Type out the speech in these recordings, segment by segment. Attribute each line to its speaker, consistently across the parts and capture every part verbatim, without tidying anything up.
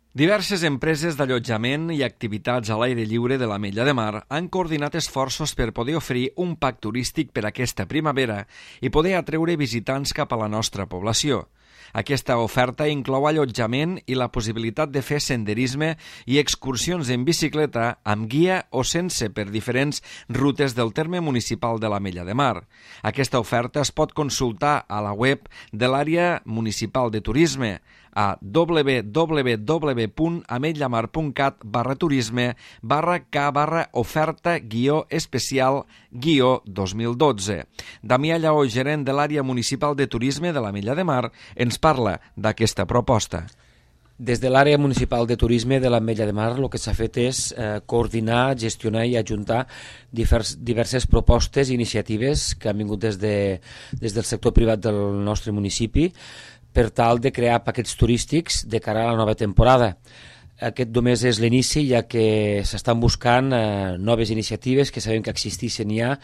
Speaker 1: Diverses empreses d'allotjament i activitats a l'aire lliure de l'Ametlla de Mar han coordinat esforços per poder oferir un pack turístic per aquesta primavera i poder atreure visitants cap a la nostra població. Aquesta oferta inclou allotjament i la possibilitat de fer senderisme i excursions en bicicleta amb guia o sense per diferents rutes del terme municipal de l'Ametlla de Mar. Aquesta oferta es pot consultar a la web de l'àrea municipal de turisme a w w w punt ametlamar punt cat barra turisme barra k barra oferta guió especial guió dos mil dotze. Damià Lleó, gerent de l'àrea municipal de turisme de l'Ametlla de Mar, ens parla d'aquesta proposta.
Speaker 2: Des de l'àrea municipal de turisme de l'Ametlla de Mar el que s'ha fet és eh, coordinar, gestionar i ajuntar divers, diverses propostes i iniciatives que han vingut des, de, des del sector privat del nostre municipi per tal de crear paquets turístics de cara a la nova temporada. Aquest només és l'inici, ja que s'estan buscant eh, noves iniciatives que sabem que existeixen ja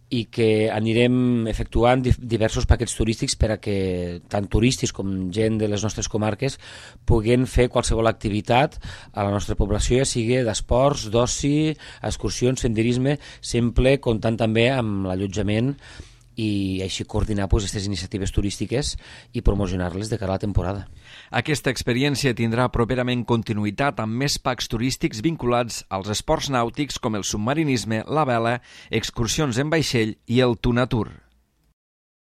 Speaker 2: i que anirem efectuant diversos paquets turístics per a que tant turistes com gent de les nostres comarques puguen fer qualsevol activitat a la nostra població, ja sigui d'esports, d'oci, excursions, senderisme, sempre comptant també amb l'allotjament i així coordinar doncs, aquestes iniciatives turístiques i promocionar-les de cara a la temporada.
Speaker 1: Aquesta experiència tindrà properament continuïtat amb més packs turístics vinculats als esports nàutics com el submarinisme, la vela, excursions en vaixell i el Tunatur.